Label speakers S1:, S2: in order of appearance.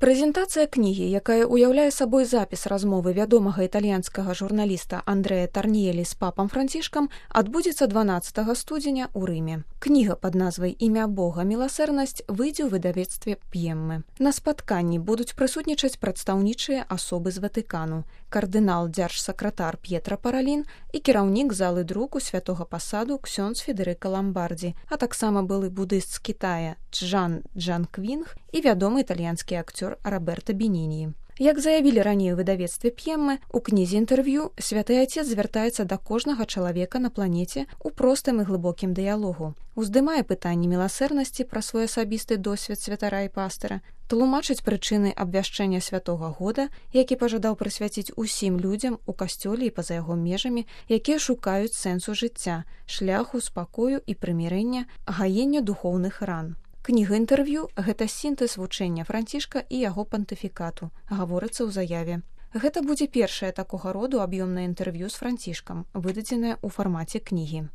S1: Прэзентацыя кнігі, якая ўяўляе сабой запіс размовы вядомага італьянскага журналіста Андрэа Тарніелі з папам Францішкам, адбудзецца 12 студзеня ў Рыме. Кніга пад назвай «Імя Бога. Міласэрнасць» выйдзе ў выдавецтве П'еммы. На спатканні будуць прысутнічаць прадстаўнічыя асобы з Ватыкану, кардынал дзяржсакратар П'етра Паралін і кіраўнік залы друку святога пасаду ксёндз Федэрыка Ламбардзі, а таксама былы будыст з Кітая Чжан Джанквінг і вядомы італьянскі акцёр Роберта Беніні. Як заявілі раней у выдавецтве П'еммы, у кнізе інтэрв'ю святы Отец звяртаецца да кожнага чалавека на планеце ў простым і глыбокім дыялогу, уздымае пытанні міласэрнасці пра свой асабісты досвед святара і пастыра, тлумачыць прычыны абвяшчэння святога года, які пажадаў прысвяціць усім людзям у касцёле і па-за яго межамі, якія шукаюць сэнсу жыцця, шляху спакою і прымірэння, гаення духоўных ран. Кніга інтэрв'ю – гэта сінтэз вучэння Францішка і яго пантыфікату, гаворыцца ў заяве. Гэта будзе першае такога роду аб'ёмнае інтэрв'ю з Францішкам, выдадзенае ў фармаце кнігі.